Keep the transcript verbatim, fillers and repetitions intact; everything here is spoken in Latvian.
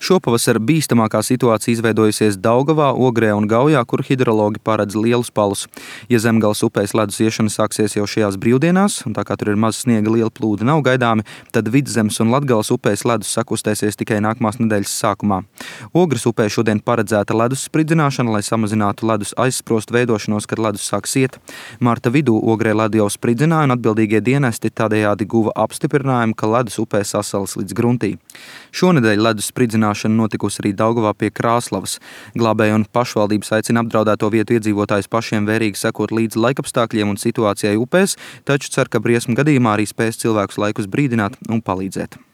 Šopavasar bīstamākā situācija izveidojusies Daugavā, Ogrē un Gaujā, kur hidrologi paredz lielus palus. Ja Zemgales upēs ledus iešana sāksies jau šajās brīvdienās, un tā kā tur ir maz sniega, liela plūdi nav gaidāmi, tad Vidzemes un Latgales upēs ledus sakustēsies tikai nākamās nedēļas sākumā. Ogres upē šodien paredzēta ledus spridzināšana, lai samazinātu ledus aizsprostu veidošanos, kad ledus sāks iet. Marta vidū Ogrē ledu jau spridzināja, un atbildīgie dienesti tādējādi guva apstiprinājumu, ka ledus upē sasalis līdz gruntī. Šonedēļ ledus spridzināšana notikusi arī Daugavā pie Krāslavas. Glābēji un pašvaldības aicina apdraudēto vietu iedzīvotājus pašiem vērīgi sekot līdzi laikapstākļiem un situācijai upēs, taču cer, ka briesmu gadījumā arī spēs cilvēkus laikus brīdināt un palīdzēt.